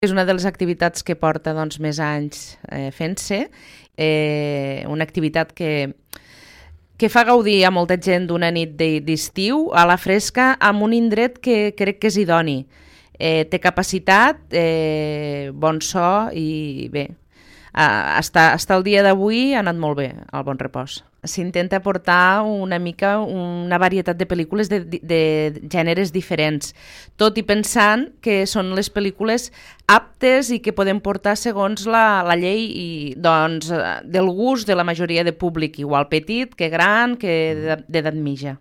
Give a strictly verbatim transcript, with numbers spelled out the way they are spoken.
És una de les activitats que porta doncs, més anys eh, fent-se, eh, una activitat que, que fa gaudir a molta gent d'una nit d'estiu a la fresca amb un indret que crec que és idoni. Eh, té capacitat, eh, bon so i bé, Uh, hasta, hasta el dia d'avui ha anat molt bé el Bon Repòs. S'intenta portar una mica una varietat de pel·lícules de, de gèneres diferents, tot i pensant que són les pel·lícules aptes i que podem portar segons la, la llei i, doncs, del gust de la majoria de públic, igual petit que gran que d'edat mitja.